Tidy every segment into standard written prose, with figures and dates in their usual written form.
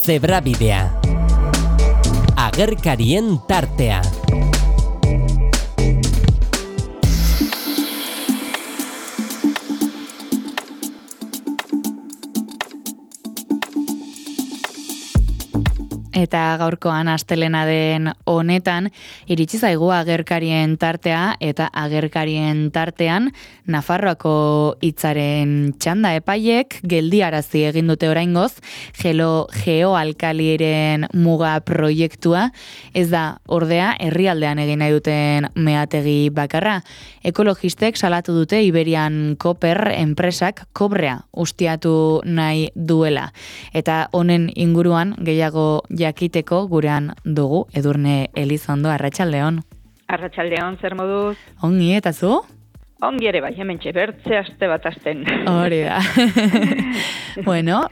Zebrabidea. Agerkarien tartea. Eta gaurkoan astelena den honetan, iritsi zaigu agerkarien tartea eta agerkarien tartean Nafarroako hitzaren txanda epaiek geldiarazi egin dute oraingoz geoalkaliren muga proiektua, ez da ordea herrialdean egin nahi duten meategi bakarra. Ekologistek salatu dute Iberian Koper enpresak kobrea ustiatu nahi duela. Eta honen inguruan gehiago jakiteko gurean dugu Edurne Elizondo. Arratsaldeon. Arratsaldeon, zer moduz? Ongi, eta zu? Ongi ere bai, hementxe, bertze aste bat asten. Hori da. Bueno,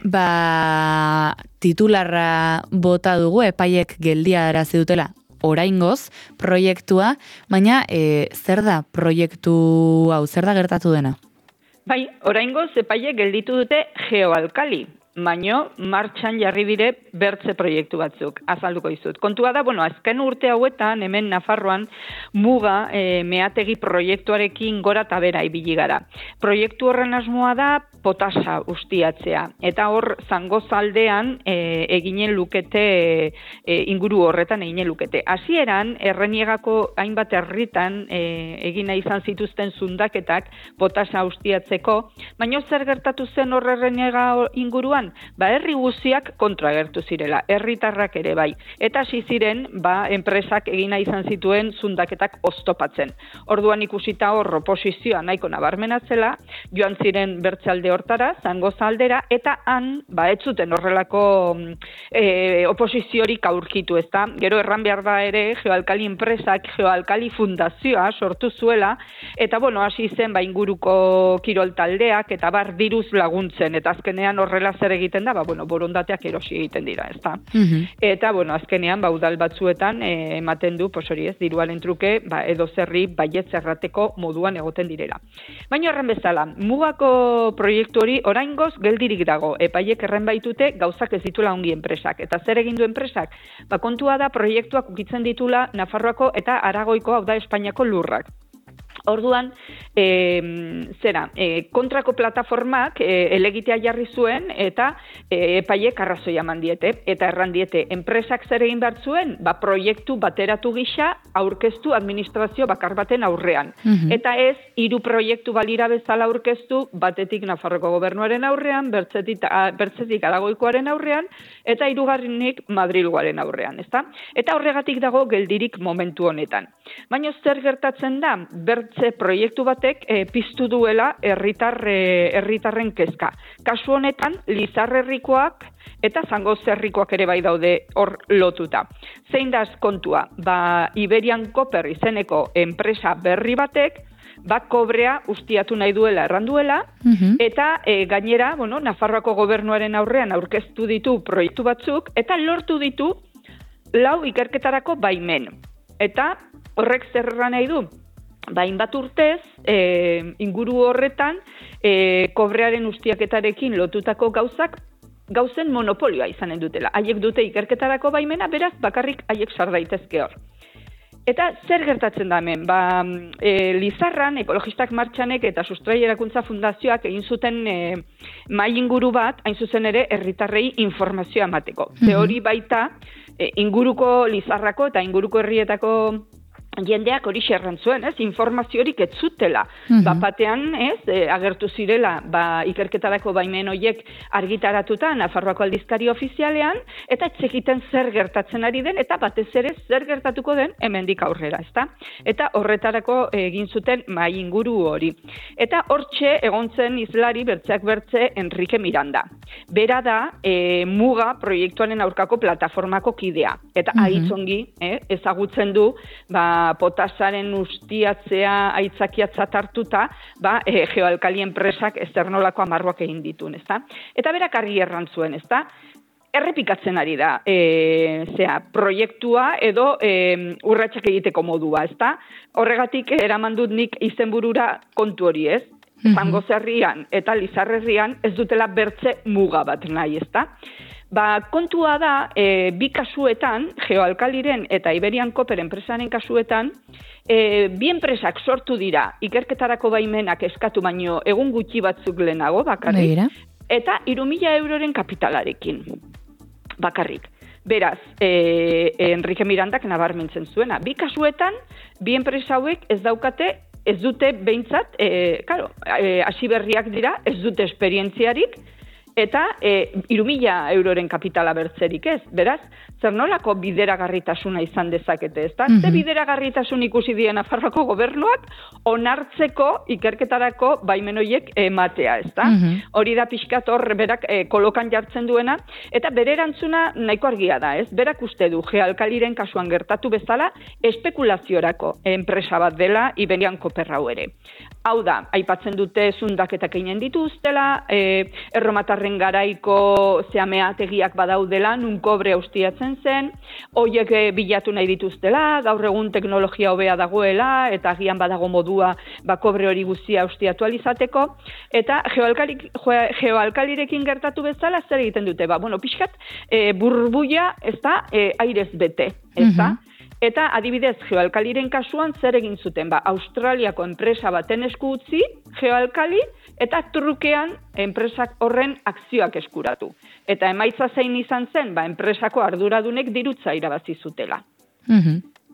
titularra bota dugu epaiek geldiarazi dutela oraingoz proiektua, baina zer da proiektu hau, zer da gertatu dena? Bai, oraingoz epaiek gelditu dute geoalkali, baino martxan jarri dire bertze proiektu batzuk, azalduko dizut. Kontua da, azken urte hauetan, hemen Nafarroan, muga meategi proiektuarekin gora eta bera ibili gara. Proiektu horren asmoa da potasa ustiatzea, eta hor Zangozaldean eginen lukete, inguru horretan eginen lukete. Hasieran Erreniegako hainbat herritan egina izan zituzten zundaketak potasa ustiatzeko, baino zer gertatu zen hor Erreniega inguruan? Herri guztiak kontra agertu zirela, herritarrak ere bai. Eta hasi ziren, enpresak egina izan zituen zundaketak oztopatzen. Orduan ikusita hor oposizioa nahiko nabarmenatzela, joan ziren bertzealde hortara, Zangozaldera, eta han, ez zuten horrelako oposiziorik aurkitu, ezta? Gero erran behar da ere, geoalkali enpresak, geoalkali fundazioa sortu zuela, eta hasi zen, inguruko kirol taldeak, eta diruz laguntzen, eta azkenean horrela zer egiten da, borondateak erosi egiten dira, ezta? Eta, azkenean, udal batzuetan ematen du, hori ez, diruaren truke, edo zerri baietz errateko moduan egoten direla. Baina horren bezala, mugako proiektu hori oraingoz geldirik dago, epaiek erren baitute gauzak ez dituela ongi enpresak. Eta zer egin du enpresak? Kontua da proiektuak ukitzen ditula Nafarroako eta Aragoiko, hau da Espainiako lurrak. Orduan, kontrako plataformak elegitea jarri zuen eta epaiek arrazoia eman diete. Eta erran diete, enpresak zer egin behar zuen, proiektu bateratu gisa aurkeztu administrazio bakar baten aurrean. Eta ez, 3 proiektu balira bezala aurkeztu, batetik Nafarroko gobernuaren aurrean, bertzetik Aragoikoaren aurrean, eta 3. Madrilgoaren aurrean, ezta? Eta horregatik dago geldirik momentu honetan. Baina zer gertatzen da, bertze proiektu batek piztu duela herritarren kezka. Kasu honetan, Lizarrerrikoak eta Zangozerrikoak ere bai daude hor lotuta. Zein da kontua? Iberian Koper izeneko enpresa berri batek kobrea ustiatu nahi duela erranduela, eta gainera, Nafarroako gobernuaren aurrean aurkeztu ditu proiektu batzuk, eta lortu ditu 4 ikerketarako baimen. Eta horrek zer nahi du? Hainbat urtez, inguru horretan, kobrearen ustiaketarekin lotutako gauzen monopolioa izanen dutela. Haiek dute ikerketarako baimena, beraz, bakarrik haiek sar daitezke hor. Eta zer gertatzen da hemen? Lizarran, ekologistak martxanek eta Sustraierakuntza Fundazioak egin zuten mahai inguru bat, hain zuzen ere, herritarrei informazioa emateko. Ze hori baita, inguruko Lizarrako eta inguruko herrietako jendeak hori xerran zuen, informaziorik ez zutela. Batean, agertu zirela, ikerketarako baimen horiek argitaratuta Nafarroako aldizkari ofizialean, eta etxekiten zer gertatzen ari den, eta batez ere zer gertatuko den hemendik aurrera, ezta? Eta horretarako egin zuten mahai inguru hori. Eta hortxe egon zen hizlari bertzeak bertze Enrique Miranda. Bera da muga proiektuaren aurkako plataformako kidea. Eta aitzongi ezagutzen du, potasaren ustiatzea aitzakiatzat hartuta, geoalkali enpresak ez nolako amarruak egin ditun, ezta? Eta berak argi erran zuen, ezta? Errepikatzen ari da proiektua edo urratsak egiteko modua, ezta? Horregatik eraman dut nik izenburura kontu hori, ez? Zangozerrian eta Lizarrerrian ez dutela bertze muga bat nahi, ezta? Kontua da, bi kasuetan, Geoalkaliren eta Iberian Copper enpresaren kasuetan, bi enpresak sortu dira, ikerketarako baimenak eskatu baino egun gutxi batzuk lehenago bakarrik, eta 3.000 euroren kapitalarekin bakarrik. Beraz, Enrique Mirandak nabarmentzen zuena. Bi kasuetan, bi enpresa hauek ez dute behintzat, hasi berriak dira, ez dute esperientziarik, eta 3.000 euroren kapitala bertzerik ez. Beraz, zer nolako bideragarritasuna izan dezakete, ezta? Ze bideragarritasun ikusi die Nafarroako gobernuak onartzeko ikerketarako baimen horiek ematea, ezta? Hori da pixkat hor berak kolokan jartzen duena, eta bere erantzuna nahiko argia da, ez? Berak uste du Geoalkaliren kasuan gertatu bezala espekulaziorako enpresa bat dela Iberian Copper hau ere. Hau da, aipatzen dute zundaketak eginen dituztela, erromatarren garaiko meategiak badaudela, nun kobre ustiatzen zen, hoiek bilatu nahi dituztela, gaur egun teknologia hobea dagoela, eta agian badago modua kobre hori guztia ustiatu alizateko, eta Geoalkalirekin gertatu bezala zer egiten dute, pixkat burbuia ez da airez bete, ez da? Eta adibidez, Geoalkaliren kasuan zer egin zuten, Australiako enpresa baten esku utzi, Geoalkali, eta trukean enpresak horren akzioak eskuratu. Eta emaitza zein izan zen, enpresako arduradunek dirutza irabazi zutela.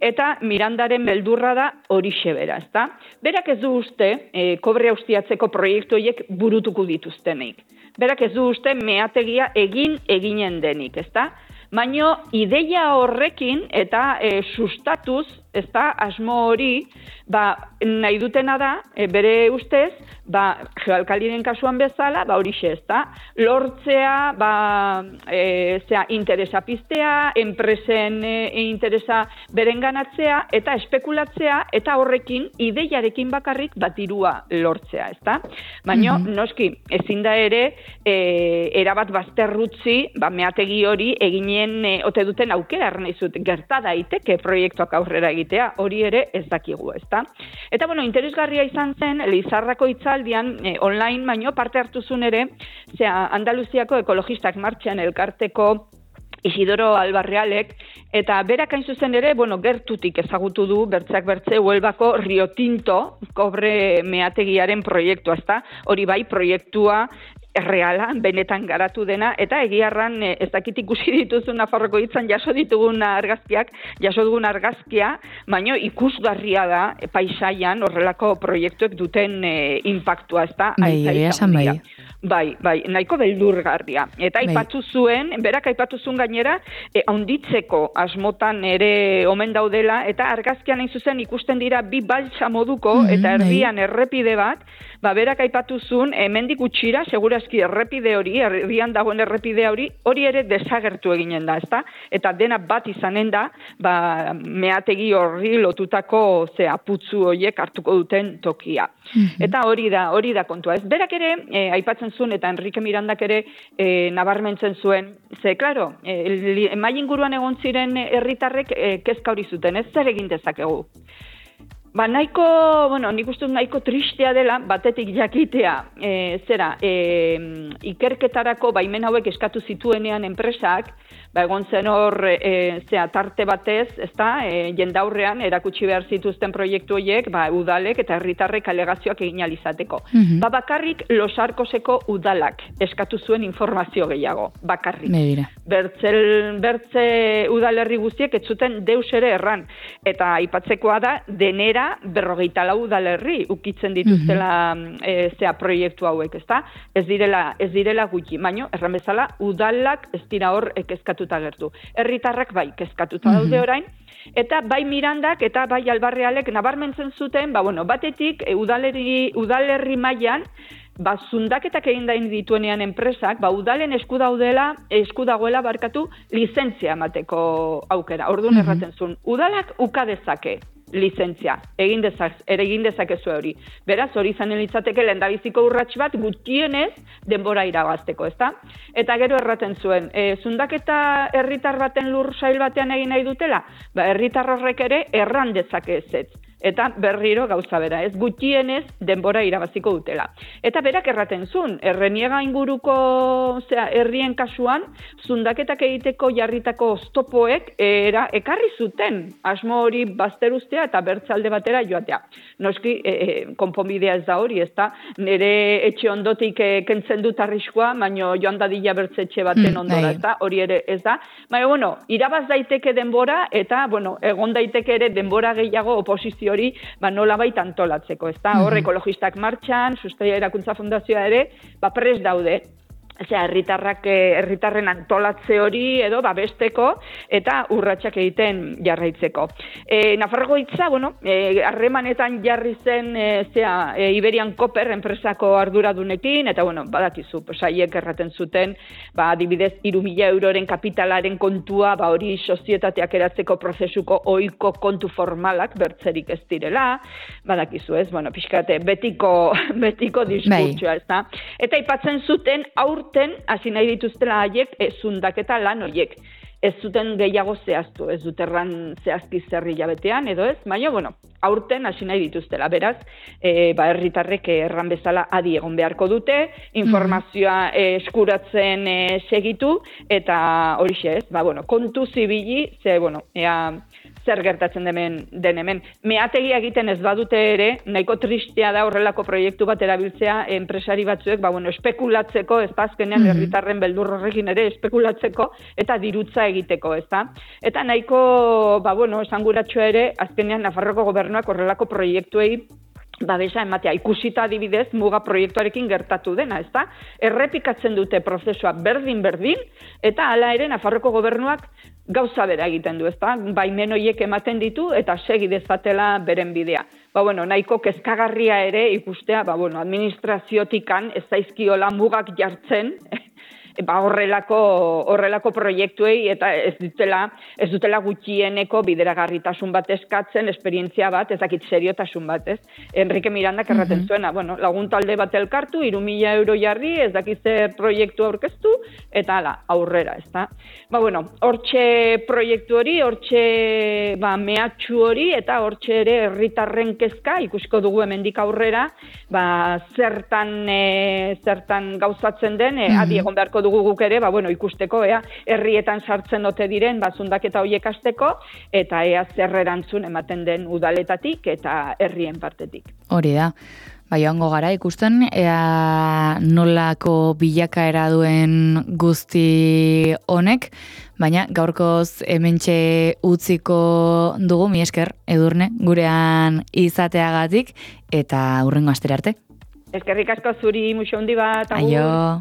Eta Mirandaren beldurra da horixe bera, ezta? Berak ez du uste, kobre ustiatzeko proiektu horiek burutuko dituztenik. Berak ez du uste meategia eginen denik, ezta? Baina ideia horrekin eta sustatuz, asmo hori, nahi dutena da, bere ustez, Geoalkaliren kasuan bezala, horixe, lortzea, interesa piztea, enpresen interesa berenganatzea, eta espekulatzea, eta horrekin, ideiarekin bakarrik dirua lortzea, Baina, noski, ezin da ere, erabat bazterrutzi, meategi hori eginen ote duten aukera arnaizut, gerta daiteke proiektuak aurrera egitea, hori ere ez dakigu, ezta? Eta, interesgarria izan zen, Lizarrako hitzaldian, online, baino parte hartuzun ere, Andaluziako ekologistak martxan elkarteko Isidoro Albarrealek, eta berak hain zuzen ere, gertutik ezagutu du, bertzeak bertze, Huelbako Rio Tinto kobre meategiaren proiektua, ezta? Hori proiektua erreala, benetan garatu dena, eta egiarran ez dakit ikusi dituzun Nafarroko hitzan jaso dugun argazkia, baino ikusgarria da paisaian horrelako proiektuek duten inpaktua, ezta? Bai, nahiko beldurgarria. Eta aipatu zuen, berak aipatu zuen gainera, haunditzeko asmotan ere omen daudela, eta argazkian hain zuzen ikusten dira bi baltsa moduko, eta erdian errepide bat, berak aipatu zuen, hemendik gutxira, segurazki errepide hori, erdian dagoen errepide hori ere desagertu eginen da, ezta? Eta dena bat izanen da, meategi horri lotutako aputzu horiek hartuko duten tokia. Eta hori da kontua. Ez berak ere, aipatzen zuen, eta Enrique Mirandak ere nabarmentzen zuen, klaro, mai inguruan egon ziren herritarrek kezka hori zuten, ez zer egin dezakegu. Nik uste nahiko tristea dela, batetik jakitea, ikerketarako baimen hauek eskatu zituenean enpresak, egon zen hor tarte batez, jendaurrean erakutsi behar zituzten proiektu horiek, udalek eta herritarrek alegazioak egin alizateko. Bakarrik Los Arcoseko udalak eskatu zuen informazio gehiago, bakarrik. Bertze udalerri guztiek ez zuten deus ere erran, eta aipatzekoa da, denera 44 udalerri ukitzen dituztela proiektu hauek, ezta? Ez direla gutxi, baino erran bezala udalak ez dira hor kezkatuta gertu. Herritarrak kezkatuta daude orain, eta bai Mirandak eta bai Albarrealek nabarmentzen zuten, batetik udalerri mailan zundaketak egin dain dituenean enpresak, udalen esku dagoela lizentzia emateko aukera. Orduan erraten zuen, udalak uka dezake lizentzia, egin dezakezu hori. Beraz, hori izanen litzateke lehendabiziko urrats bat gutxienez denbora irabazteko, ezta? Eta gero erraten zuen, zundaketa herritar baten lur sail batean egin nahi dutela, herritar horrek ere erran dezake ezetz. eta berriro gauza bera, ez gutxienez denbora irabaziko dutela. Eta berak erraten zuen, Erreniega inguruko herrien kasuan, zundaketak egiteko jarritako oztopoek ekarri zuten asmo hori bazteruztea eta bertzalde batera joatea. Noski, konponbidea ez da hori, ez da, nire etxe ondotik kentzen dut arriskua, baino joan dadila bertzetxe baten ondora, ez da, hori ere ez da. Baina, bueno, irabaz daiteke denbora, eta, bueno, egon daiteke ere denbora gehiago oposizio hori, nolabait antolatzeko, ez da? Hor, ekologistak martxan, Sustraia Erakuntza Fundazioa ere, prest daude. Herritarren antolatze hori edo babesteko eta urratsak egiten jarraitzeko. Nafarroko hitza, harremanetan jarri zen Iberian Copper enpresako arduradunekin, eta badakizu, haiek erraten zuten, adibidez, 3.000 euroren kapitalaren kontua, hori sozietateak eratzeko prozesuko ohiko kontu formalak bertzerik ez direla, badakizu, ez? Pixkate, betiko diskurtsoa, ez da? Eta aipatzen zuten hasi nahi dituztela haiek zundaketa lan horiek. Ez zuten gehiago zehaztu, ez dut erran zehazki zerri jabetean, edo ez, baina, aurten hasi nahi dituztela. Beraz, herritarrek erran bezala adi egon beharko dute, informazioa eskuratzen segitu, eta horixe ez, kontu zibili, zer gertatzen den hemen. Meategia egiten ez badute ere, nahiko tristea da horrelako proiektu bat erabiltzea enpresari batzuek, espekulatzeko, ez da azkenean herritarren beldur horrekin ere espekulatzeko, eta dirutza egiteko, ez da. Eta nahiko, esanguratsua ere, azkenean Nafarroko gobernuak horrelako proiektuei babesa ematea, ikusita adibidez muga proiektuarekin gertatu dena, ez da? Errepikatzen dute prozesua berdin, eta hala ere Nafarroko gobernuak gauza bera egiten du, ez da? Baimen horiek ematen ditu eta segi dezatela beren bidea. Nahiko kezkagarria ere ikustea, administraziotikan ez zaizkiola mugak jartzen, horrelako proiektuei eta ez dutela gutxieneko bideragarritasun bat eskatzen, esperientzia bat, ezakit seriotasun bat, ez? Enrique Mirandak erraten zuena, lagun talde bat elkartu, 3.000 euro jarri, ez dakitze proiektu aurkeztu, eta aurrera, ez da? Hortxe proiektu hori, hortxe mehatxu hori, eta hortxe ere herritarren kezka, ikusiko dugu hemendik aurrera, zertan gauzatzen den, adi egon beharko dugu guk ere, ikusteko, herrietan sartzen ote diren, zundaketa horiek hasteko, eta zer erantzun ematen den udaletatik eta herrien partetik. Hori da. Joango gara ikusten, nolako bilakaera duen guzti honek, baina gaurkoz hementxe utziko dugu, mi esker, Edurne, gurean izateagatik, eta hurrengo astera arte. Eskerrik asko zuri, muxo handi bat. Aio.